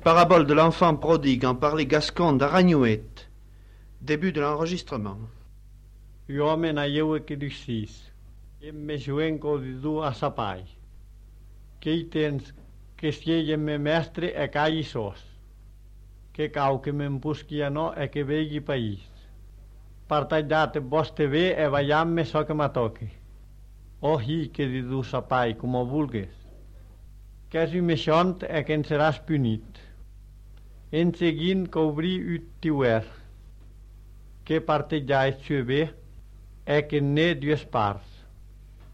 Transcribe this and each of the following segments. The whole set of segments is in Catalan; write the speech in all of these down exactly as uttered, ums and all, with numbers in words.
Parabole de l'enfant prodigue en parler gascon d'Aragnouet. Début de l'enregistrement. Jo me n'aieu que dicis, em me juen co didu a sapai. Que hi tens que si me mestre e calli sos. Que cau que m'empusqui a no e que vegi país. Partagliate voste ve e vaiamme so que m'atoque. O hi que didu sapai, como vulgues. Que si me xont e que en seràs punit. En seguint cobri ut tiuer. Que partegiais sue ve e que ne dues parts.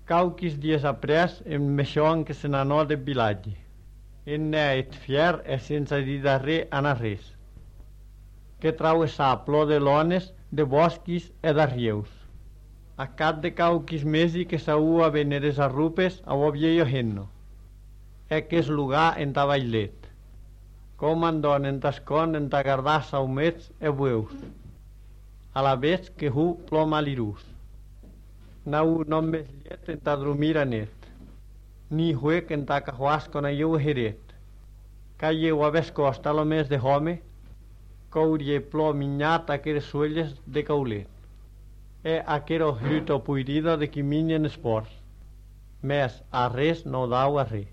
Cauquis dies apres em meixon que se n'anò de vilatge. En ne et fier e sense dir darrer ana res. Que trauessà plor de lones, de bosquis e d'arrieus. A cap de cauquis mesi que saua veneres arrupes a o vieio henno. E que es lugar en ta bailet. Com andon en tascon en ta gardar saumets e bueus. A la vez que hu plom alirús. Nau non mes liet en ta drumir anet. Ni huec en ta cahuas con aieu heret. Ca ieu aves costa lo mes de home, courie plo minyat aqueres suelles de caulet. E aquero hluto puirido de qui minyen esports. Mes a res no dau a re.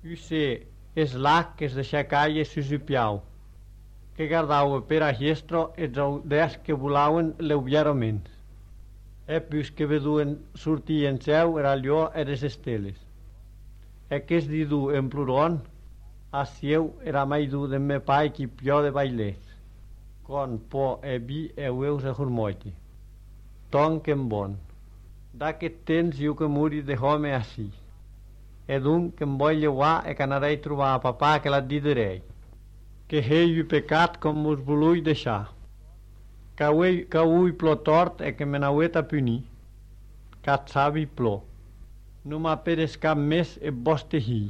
Use es lac que es deixa calle susupiau. Que gardau per a hiestro els audes que volauen leuviaroments. E pus que veduen sortir en seu era allò eres esteles. E que es didu en pluron, a sieu era mai du de me pai qui pio de bailets. Con po e bi e ueus e hurmoiti. Ton que bon. D'aquest temps iu que muri de home así. E d'un que em vull llevar e que anarei trobar a papà que la diderei. Que hei pecat com mos volui deixar. Que ui, que ui plo tort e que me n'auet a punir. Cat sabi plo. No m'aperes cap més e voste hi.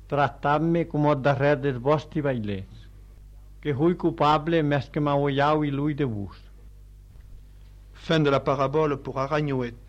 Trattam-me com o darrer des vosti bailets. Que hui culpable més que m'auiau i lui de vos. Fin de la parabole pour Aragnouet.